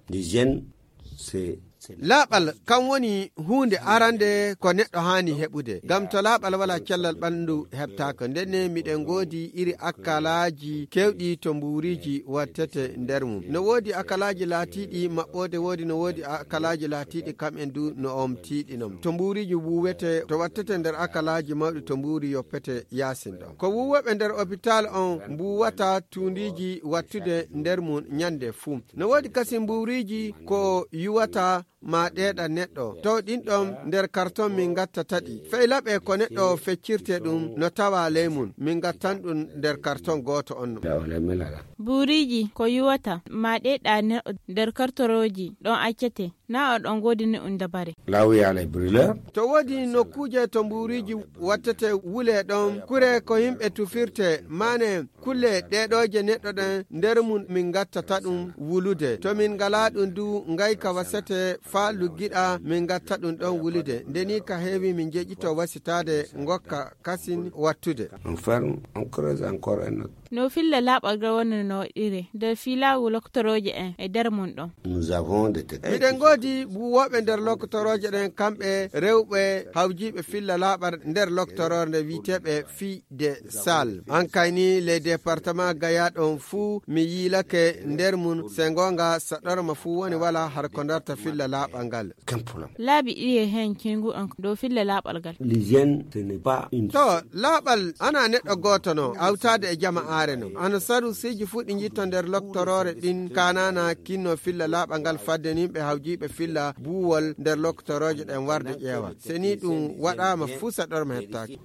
L'hygiène, c'est laaɓal kan woni huunde arande ko neɗɗo haani heɓude, ngam to laaɓal wala cellal ɓanndu heɓtaaka. Ndenne miɗen ngoodi iri akkalaaji kewɗi to mbuuriji wattete nder mum. No woodi akkalaaji laatiiɗi maɓɓoode, woodi no woodi akkalaaji laatiiɗi kamɓen du no omtiiɗinom. To mbuuriji wuuwete to wattete nder akkalaaji mawɗi to mbuuri yoppete yaasin ɗon. Ko wuuwoɓe nder hôpital on mbuuwata tuundiiji wattude nder mum nyande fuu. No woodi kasi mbuuriji ko yuwata ma ɗeeɗa neɗɗo to ɗinɗon nder karton min gattata ɗi feylaɓe ko neɗɗo feccirte ɗum no tawa ley mum min gattan ɗum nder karton goto on no. Buuriji ko yuwata ma ɗeeɗa neɗɗo nder kartoroji ɗon accete na o ɗon godini un dabare. To woodi nokkuje to mbuuriji wattete wule ɗon kure ko yimɓe tufirte mane kulle ɗeɗoje neɗɗo ɗen nder mum min gattata ɗum wulude. To min ngala ɗum du ngayka wasete fa luggiɗa min gatta ɗum ɗon wulude. Ndeni ka heewi min jeƴito wasitade ngokka kasin wattude. No filla laaɓal gal woni no waɗire nder filawu loktoroje en e nder mum ɗon. Miɗen ngoodi buwoɓe nder loktoroje ɗen kamɓe rewɓe hawjiɓe filla laaɓal nder loktororde wiiteɓe fi de sal. An kayni les département gayaɗon fuu mi yiilake nder mum se gonga saɗorma fuu woni wala har ko darta filla laaɓal ngal. Laabi ɗiye hen kingu an dow filla laaɓal gal. To laaɓal ana neɗɗo goto no awtade e jama'a no ana saru siji fuɗi jitto nder loktorore ɗin kanana kinno filla laaɓal ngal fadde nimɓe hawjiɓe filla buwol nder loktoroje ɗen warde ƴeewa seni ɗum waɗama fuu saɗorma hettaki.